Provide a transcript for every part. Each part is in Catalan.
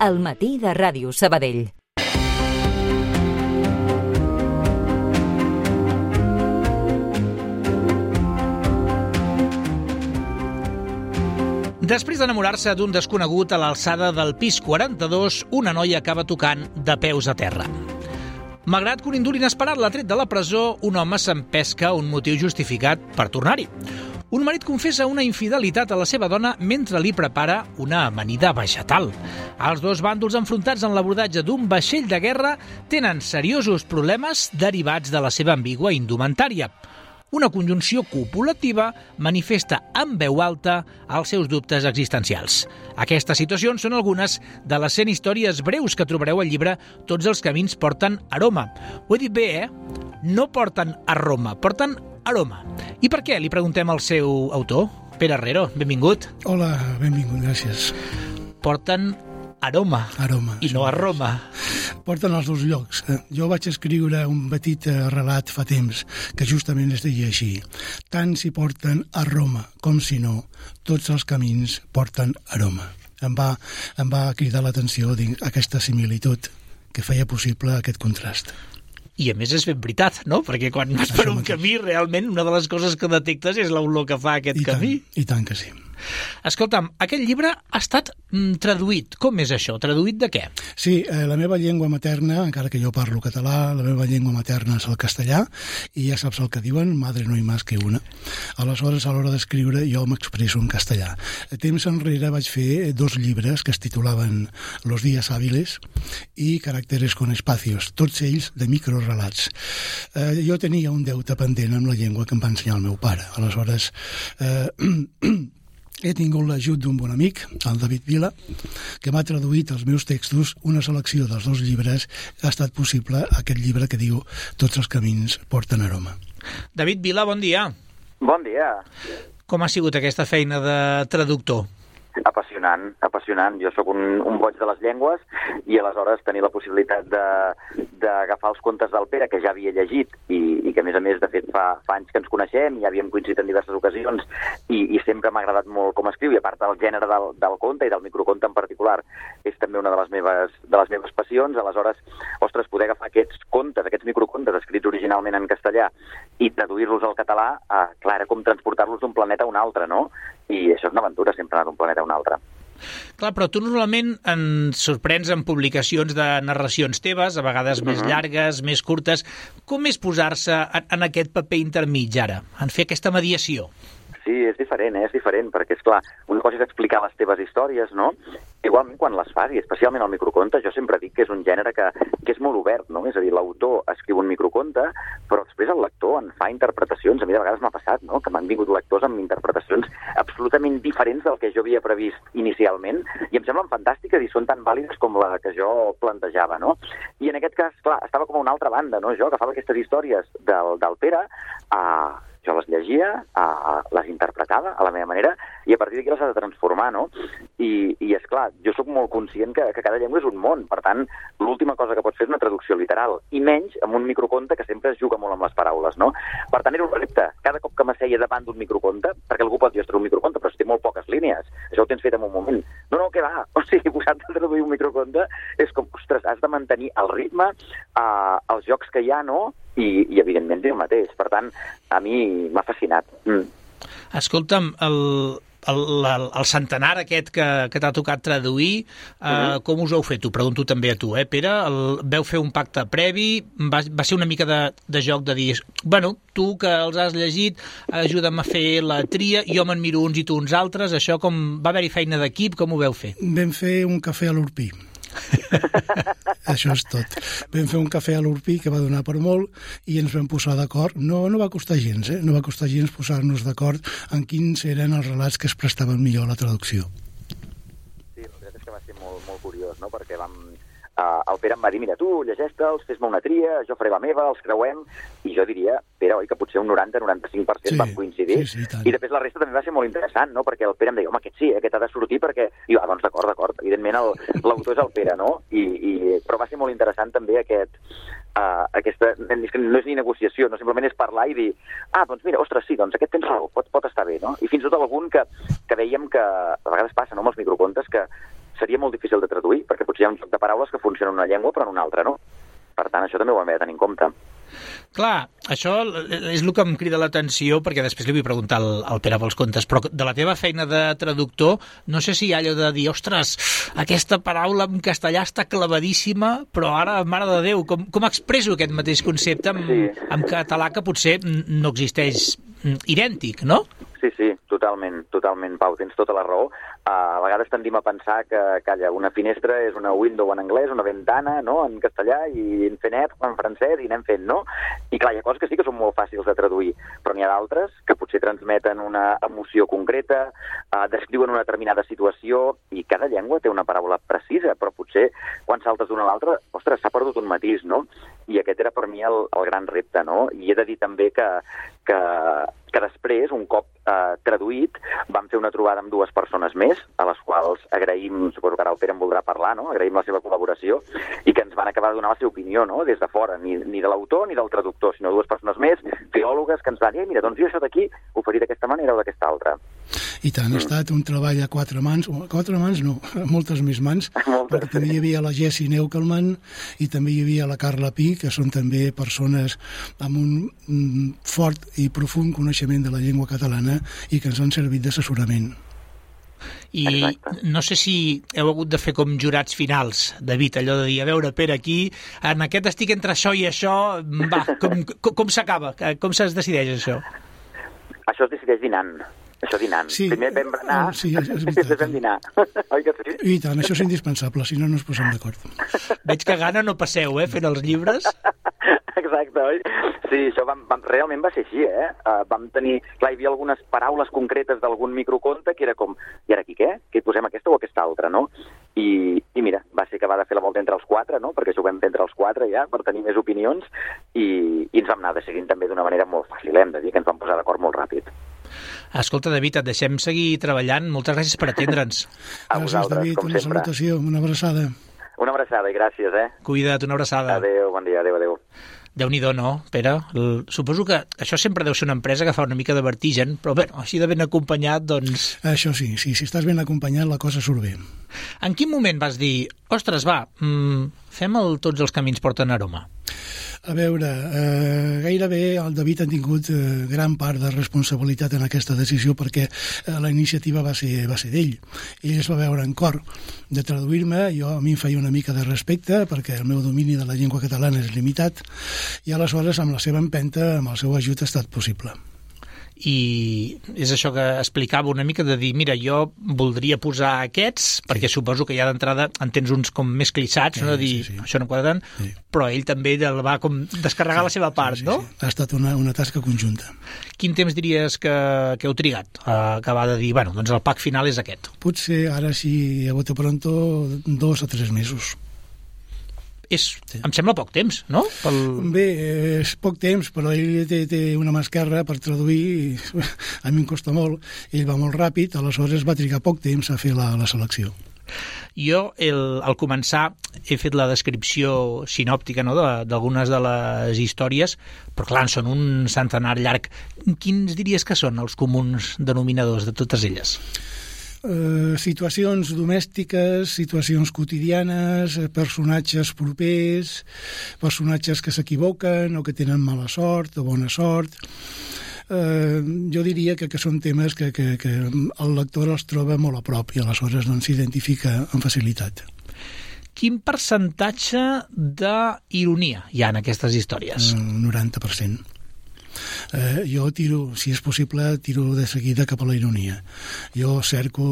al matí de Ràdio Sabadell. Després d'enamorar-se d'un desconegut a l'alçada del pis 42, una noia acaba tocant de peus a terra. Malgrat que un indult inesperat l'ha tret de la presó, un home s'empesca un motiu justificat per tornar-hi. Un marit confessa una infidelitat a la seva dona mentre li prepara una amanida vegetal. Els dos bàndols enfrontats en l'abordatge d'un vaixell de guerra tenen seriosos problemes derivats de la seva ambigua indumentària. Una conjunció copulativa manifesta en veu alta els seus dubtes existencials. Aquestes situacions són algunes de les 100 històries breus que trobareu al llibre Tots els camins porten a Roma. Ho he dit bé, No porten a Roma, porten aroma. I per què? Li preguntem al seu autor, Pere Herrero. Benvingut. Hola, benvingut, gràcies. Porten aroma i no a Roma. Porten als dos llocs. Jo vaig escriure un petit relat fa temps que justament es deia així. Tant si porten a Roma com si no, tots els camins porten aroma. Em va cridar l'atenció aquesta similitud que feia possible aquest contrast. I a més és ben veritat, no? Perquè quan vas per un camí, realment, una de les coses que detectes és l'olor que fa aquest camí. I tant que sí. Escolta'm, aquest llibre ha estat traduït. Com és això? Traduït de què? Sí, la meva llengua materna, encara que jo parlo català, la meva llengua materna és el castellà, i ja saps el que diuen, madre no hi más que una. Aleshores, a l'hora d'escriure, jo m'expresso en castellà. Temps enrere vaig fer 2 llibres que es titulaven Los días hábiles i Caràcteres con espacios, tots ells de microrelats. Jo tenia un deute pendent amb la llengua que em va ensenyar el meu pare. Aleshores, he tingut l'ajut d'un bon amic, el David Vila, que m'ha traduït els meus textos. Una selecció dels 2 llibres ha estat possible aquest llibre que diu Tots els camins porten aroma. David Vila, bon dia. Bon dia. Com ha sigut aquesta feina de traductor? Apassionant. Jo sóc un boig de les llengües i aleshores tenir la possibilitat d'agafar els contes del Pere, que ja havia llegit i que, a més, de fet, fa anys que ens coneixem i ja havíem coincidit en diverses ocasions i sempre m'ha agradat molt com escriu, i a part del gènere del conte i del microconte en particular és també una de les meves passions. Aleshores, ostres, poder agafar aquests contes, aquests microcontes escrits originalment en castellà i traduir-los al català, clar, era com transportar-los d'un planeta a un altre, no? I això és una aventura, sempre anar d'un planeta a un altre. Clar, però tu normalment ens sorprens amb publicacions de narracions teves, a vegades més llargues, més curtes. Com és posar-se en aquest paper intermig ara, en fer aquesta mediació? Sí, és diferent, perquè, esclar, una cosa és explicar les teves històries, no? Igualment, quan les fas, i especialment el microconte, jo sempre dic que és un gènere que és molt obert, no? És a dir, l'autor escriu un microconte, però després el lector en fa interpretacions. A mi de vegades m'ha passat, no?, que m'han vingut lectors amb interpretacions absolutament diferents del que jo havia previst inicialment, i em semblen fantàstiques i són tan vàlides com la que jo plantejava, no? I en aquest cas, clar, estava com a una altra banda, no? Jo agafava aquestes històries del Pere, jo les llegia, les interpretava a la meva manera, i a partir d'aquí les has de transformar, no? I esclar, jo sóc molt conscient que cada llengua és un món, per tant, l'última cosa que pots fer és una traducció literal, i menys amb un microconte que sempre es juga molt amb les paraules, no? Per tant, era un repte. Cada cop que m'asseia davant d'un microconte, perquè algú pot dir, ostres, un microconte, però si té molt poques línies, això ho tens fet en un moment. No, què va? O sigui, posar-te a traduir un microconte és com, ostres, has de mantenir el ritme, els jocs que hi ha, no?, i evidentment diu el mateix. Per tant, a mi m'ha fascinat. Escolta'm, el centenar aquest que t'ha tocat traduir, com us ho heu fet? T'ho pregunto també a tu, Pere. Veu fer un pacte previ? Va ser una mica de joc de dir, bueno, tu que els has llegit, ajuda'm a fer la tria, jo me'n miro uns i tu uns altres. Això com va haver-hi feina d'equip? Com ho veu fer? Vam fer un cafè a l'Urpí. Això és tot. Vam fer un cafè a l'Urpí que va donar per molt i ens vam posar d'acord. No va costar gens, no va costar gens posar-nos d'acord en quins eren els relats que es prestaven millor a la traducció. Sí, la veritat és que va ser molt, molt curiós, no? Perquè el Pere em va dir, mira, tu llegeix-te'ls, fes-me una tria, jo faré la meva, els creuem, i jo diria, Pere, oi, que potser un 90-95% vam coincidir, i després la resta també va ser molt interessant, no?, perquè el Pere em deia, home, aquest sí, aquest ha de sortir, perquè... I jo, doncs d'acord, evidentment l'autor és el Pere, no?, però va ser molt interessant també aquesta... No és ni negociació, no, simplement és parlar i dir, doncs mira, ostres, sí, doncs aquest tens raó, pot estar bé, no?, i fins i tot algun que veiem que a vegades passa, no?, amb els microcontes, que seria molt difícil de traduir, perquè potser hi ha un joc de paraules que funciona en una llengua però en una altra no. Per tant, això també ho hem de tenir en compte. Clar, això és el que em crida l'atenció, perquè després li vull preguntar al Pere pels contes, però de la teva feina de traductor, no sé si hi ha allò de dir, ostres, aquesta paraula en castellà està clavadíssima, però ara, mare de Déu, com expresso aquest mateix concepte en català que potser no existeix idèntic, no? Sí, totalment, Pau, tens tota la raó. A vegades tendim a pensar que, calla, una finestra és una window en anglès, una ventana, no?, en castellà, i en fenet en francès, i anem fent, no? I clar, hi ha coses que sí que són molt fàcils de traduir, però n'hi ha d'altres que potser transmeten una emoció concreta, descriuen una determinada situació, i cada llengua té una paraula precisa, però potser quan saltes d'una a l'altra, ostres, s'ha perdut un matís, no? I aquest era per mi el gran repte, no? I he de dir també que després, un cop traduït, vam fer una trobada amb 2 persones més, a les quals agraïm, suposo que ara el Pere en voldrà parlar, no? Agraïm la seva col·laboració, i que ens van acabar de donar la seva opinió, no?, des de fora, ni de l'autor ni del traductor, sinó 2 persones més, filòlogues, que ens van dir, mira, doncs jo això d'aquí ho faria d'aquesta manera o d'aquesta altra. I tant, ha estat un treball a 4 mans, no, a moltes més mans, perquè també hi havia la Jessie Neukelman i també hi havia la Carla Pi, que són també persones amb un fort i profund coneixement de la llengua catalana i que ens han servit d'assessorament. I no sé si heu hagut de fer com jurats finals, David, allò de dir, a veure, Pere, aquí, en aquest estic entre això i això, va, com s'acaba? Com es decideix això? Això es decideix dinant. Això dinant. Sí, primer vam berenar i després vam dinar. Oi que sí? I tant, això és indispensable, si no, no ens posem d'acord. Veig que gana no passeu, fent els llibres. Exacte, oi? Sí, això realment va ser així, Vam tenir... Clar, hi havia algunes paraules concretes d'algun microconte que era com, i ara aquí què? Que hi posem aquesta o aquesta altra, no? I mira, va ser que va de fer la volta entre els 4, no? Perquè això ho vam fer entre els 4 ja, per tenir més opinions, i ens vam anar decidint també d'una manera molt fàcil, hem de dir, que ens vam posar d'acord molt ràpid. Escolta, David, et deixem seguir treballant. Moltes gràcies per atendre'ns. A vosaltres, David, com una sempre. salutació, una abraçada. Una abraçada i gràcies, Cuida't, una abraçada. Adéu, bon dia, adéu. Déu-n'hi-do, no, Pere? Suposo que això sempre deu ser una empresa que fa una mica de vertigen, però bé, així de ben acompanyat, doncs... Això sí, si estàs ben acompanyat la cosa surt bé. En quin moment vas dir, ostres, va, fem tots els camins porten aroma? A veure, gairebé el David ha tingut gran part de responsabilitat en aquesta decisió perquè la iniciativa va ser d'ell. Ell es va veure en cor de traduir-me, a mi em feia una mica de respecte perquè el meu domini de la llengua catalana és limitat i aleshores amb la seva empenta, amb el seu ajut ha estat possible. I és això que explicava una mica de dir, mira, jo voldria posar aquests, perquè suposo que ja d'entrada en tens uns com més clissats, no? De dir, sí. Això no quadra tant, però ell també el va com descarregar la seva part, no? Sí. Ha estat una tasca conjunta. Quin temps diries que heu trigat a acabar de dir, bueno, doncs el pack final és aquest? Potser ara, si a bote pronto, 2 o 3 mesos. Em sembla poc temps, no? Bé, és poc temps, però ell té una mà esquerra per traduir, a mi em costa molt, ell va molt ràpid, aleshores va trigar poc temps a fer la selecció. Jo, al començar, he fet la descripció sinòptica, no?, d'algunes de les històries, però clar, són un centenar llarg. Quins diries que són els comuns denominadors de totes elles? Situacions domèstiques, situacions quotidianes, personatges propers, personatges que s'equivoquen o que tenen mala sort o bona sort. Jo diria que són temes que el lector els troba molt a prop i aleshores s'identifica amb facilitat. Quin percentatge d'ironia hi ha en aquestes històries? 90%. Jo si és possible, tiro de seguida cap a la ironia. Jo cerco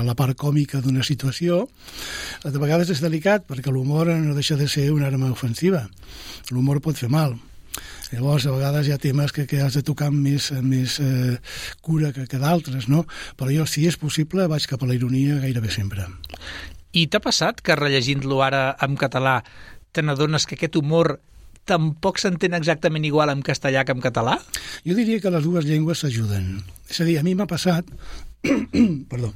la part còmica d'una situació. De vegades és delicat, perquè l'humor no deixa de ser una arma ofensiva. L'humor pot fer mal. Llavors, a vegades hi ha temes que has de tocar amb més cura que d'altres, no? Però jo, si és possible, vaig cap a la ironia gairebé sempre. I t'ha passat que rellegint-lo ara en català te n'adones que aquest humor tampoc s'entén exactament igual en castellà que en català? Jo diria que les dues llengües s'ajuden. És a dir, a mi m'ha passat... Perdó.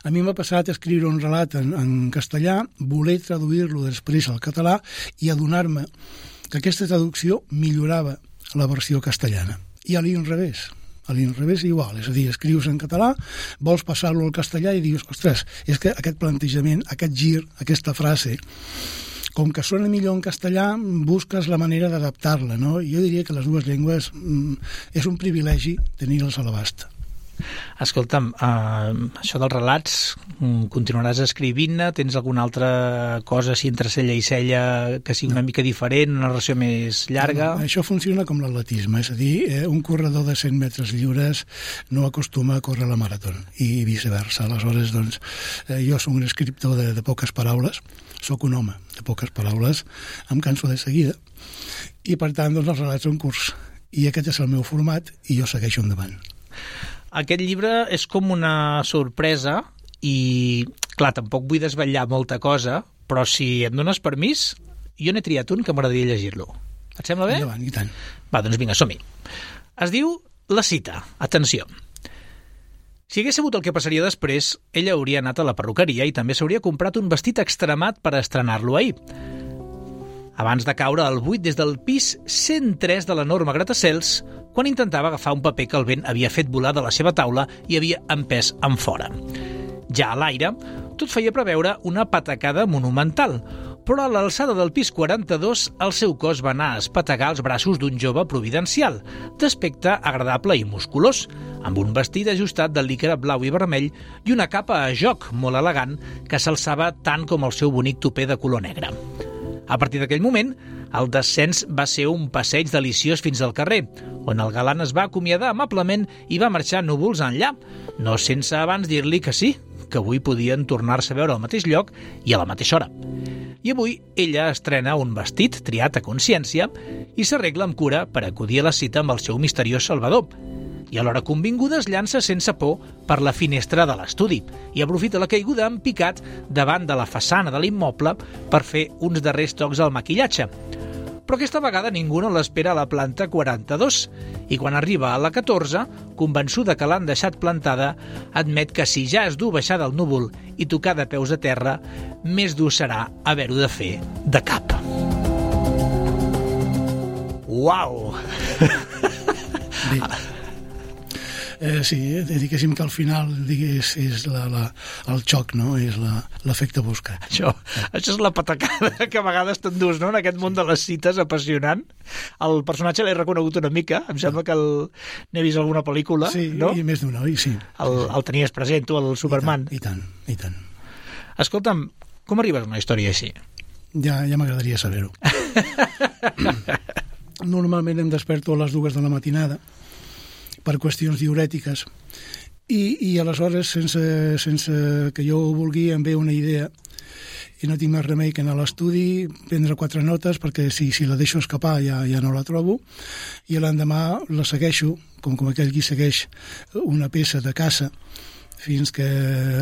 A mi m'ha passat escriure un relat en castellà, voler traduir-lo després al català i adonar-me que aquesta traducció millorava la versió castellana. I a l'inrevés. A l'inrevés igual, és a dir, escrius en català, vols passar-lo al castellà i dius, ostres, és que aquest plantejament, aquest gir, aquesta frase, com que sona millor en castellà, busques la manera d'adaptar-la, no? Jo diria que les dues llengües és un privilegi tenir-les a l'abast. Escolta'm, això dels relats, continuaràs escrivint-ne? Tens alguna altra cosa així entre cella i cella que sigui una mica diferent, una narració més llarga? No, això funciona com l'atletisme, és a dir, un corredor de 100 metres lliures no acostuma a córrer la marató, i viceversa. Aleshores, doncs, jo soc un escriptor de poques paraules, soc un home de poques paraules, em canso de seguida, i per tant, doncs, els relats són curts, i aquest és el meu format, i jo segueixo endavant. Aquest llibre és com una sorpresa i, clar, tampoc vull desvetllar molta cosa, però si em dones permís, jo n'he triat un que m'agradaria llegir-lo. Et sembla bé? Endavant, i tant. Va, doncs vinga, som-hi. Es diu La cita. Atenció. Si hagués sabut el que passaria després, ella hauria anat a la perruqueria i també s'hauria comprat un vestit extremat per estrenar-lo ahir. Abans de caure al buit des del pis 103 de l'enorme gratacels, quan intentava agafar un paper que el vent havia fet volar de la seva taula i havia empès enfora. Ja a l'aire, tot feia preveure una patacada monumental, però a l'alçada del pis 42 el seu cos va anar a espetegar els braços d'un jove providencial, d'aspecte agradable i musculós, amb un vestit ajustat de licra blau i vermell i una capa a joc molt elegant que s'alçava tant com el seu bonic tupè de color negre. A partir d'aquell moment, el descens va ser un passeig deliciós fins al carrer, on el galant es va acomiadar amablement i va marxar núvols enllà, no sense abans dir-li que sí, que avui podien tornar-se a veure al mateix lloc i a la mateixa hora. I avui ella estrena un vestit triat a consciència i s'arregla amb cura per acudir a la cita amb el seu misteriós salvador. I a l'hora convinguda es llança sense por per la finestra de l'estudi i aprofita la caiguda en picat davant de la façana de l'immoble per fer uns darrers tocs al maquillatge. Però aquesta vegada ningú no l'espera a la planta 42 i quan arriba a la 14, convençuda que l'han deixat plantada, admet que si ja és dur baixar del núvol i tocar de peus a terra, més dur serà haver-ho de fer de cap. Uau! Bé. Sí, diguéssim que al final és el xoc, no? És l'efecte buscar. Això és la patacada que a vegades t'endús, no?, en aquest món de les cites apassionant. El personatge l'he reconegut una mica, em sembla que n'he vist alguna pel·lícula, sí, no? I més d'una, oi? Sí. El tenies present, tu, el Superman. I tant. Escolta'm, com arribes a una història així? Ja m'agradaria saber-ho. Normalment em desperto a les 2 de la matinada, per qüestions diurètiques, i aleshores, sense que jo ho vulgui, em ve una idea i no tinc més remei que anar a l'estudi, prendre 4 notes, perquè si la deixo escapar ja no la trobo, i l'endemà la segueixo, com aquell qui segueix una peça de caça, fins que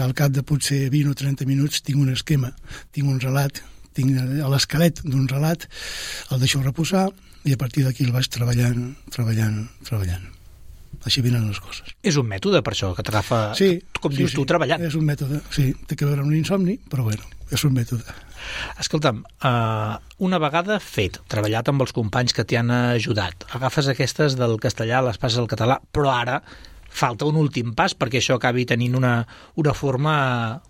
al cap de potser 20 o 30 minuts tinc un esquema, tinc un relat, tinc l'esquelet d'un relat, el deixo reposar, i a partir d'aquí el vaig treballant. Així venen les coses. És un mètode, per això, que t'agafa, sí, com dius tu, treballant. És un mètode, sí. Té que veure amb l'insomni, però bueno, és un mètode. Escolta'm, una vegada fet, treballat amb els companys que t'hi han ajudat, agafes aquestes del castellà, les passes al català, però ara falta un últim pas perquè això acabi tenint una forma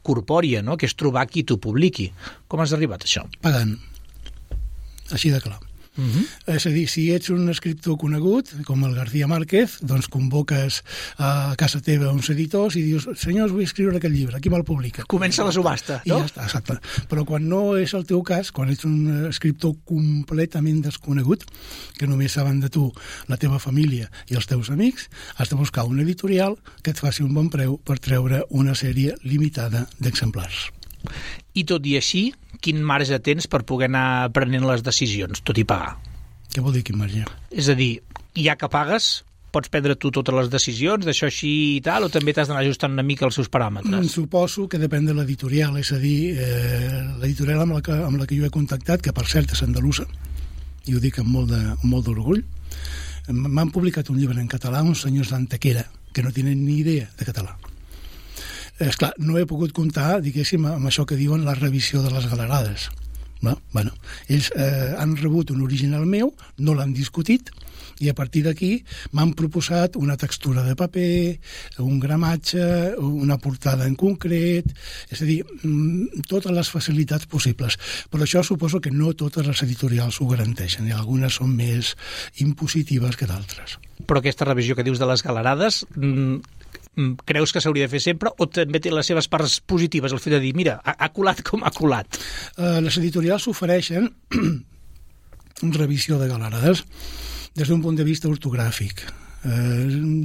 corpòria, no?, que és trobar qui t'ho publiqui. Com has arribat a això? Pagant. Així de clar. És a dir, si ets un escriptor conegut, com el García Márquez, doncs convoques a casa teva uns editors i dius, senyors, vull escriure aquest llibre, qui me'l publica? Comença la subhasta, no? I ja està, exacte. Però quan no és el teu cas, quan ets un escriptor completament desconegut, que només saben de tu la teva família i els teus amics, has de buscar un editorial que et faci un bon preu per treure una sèrie limitada d'exemplars. I tot i així, quin marge tens per poder anar prenent les decisions, tot i pagar? Què vol dir quin marge? És a dir, ja que pagues, pots prendre tu totes les decisions, d'això així i tal, o també t'has d'anar ajustant una mica els seus paràmetres? Suposo que depèn de l'editorial, és a dir, l'editorial amb la que jo he contactat, que per cert és andalusa, i ho dic amb molt d'orgull, m'han publicat un llibre en català, uns senyors d'Antequera, que no tenen ni idea de català. Esclar, no he pogut comptar, diguéssim, amb això que diuen la revisió de les galerades, Bueno, ells han rebut un original meu, no l'han discutit, i a partir d'aquí m'han proposat una textura de paper, un gramatge, una portada en concret, és a dir, totes les facilitats possibles. Però això suposo que no totes les editorials ho garanteixen, i algunes són més impositives que d'altres. Però aquesta revisió que dius de les galerades, creus que s'hauria de fer sempre o també té les seves parts positives, el fet de dir, mira, ha colat com ha colat? Les editorials ofereixen revisió de galerades des d'un punt de vista ortogràfic.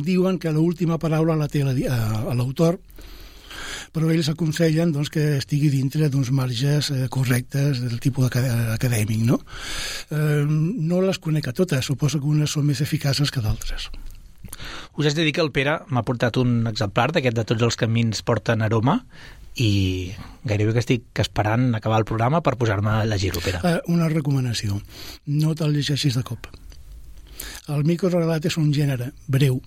Diuen que l'última paraula la té l'autor, però ells aconsellen doncs, que estigui dintre d'uns marges correctes del tipus acadèmic, no? No les conec a totes, suposo que unes són més eficaces que d'altres. Us haig de dir que el Pere m'ha portat un exemplar d'aquest de Tots els camins porten aroma i gairebé que estic esperant acabar el programa per posar-me a llegir-ho, Pere. Una recomanació, no te'l llegeixis de cop. El microrelat és un gènere breu.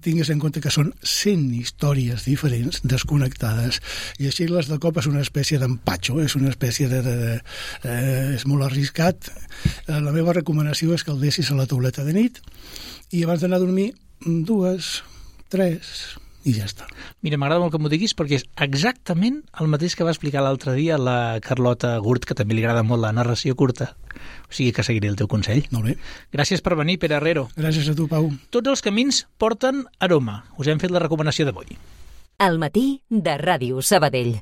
Tingues en compte que són 100 històries diferents, desconnectades, i així les de cop és una espècie d'empatxo, és una espècie és molt arriscat. La meva recomanació és que el deixis a la tauleta de nit i abans d'anar a dormir 2, 3 i ja està. Mira, m'agrada molt que m'ho diguis perquè és exactament el mateix que va explicar l'altre dia la Carlota Gurt, que també li agrada molt la narració curta. O sigui que seguiré el teu consell. Molt bé. Gràcies per venir, Pere Herrero. Gràcies a tu, Pau. Tots els camins porten aroma. Us hem fet la recomanació d'avui. Al matí de Ràdio Sabadell.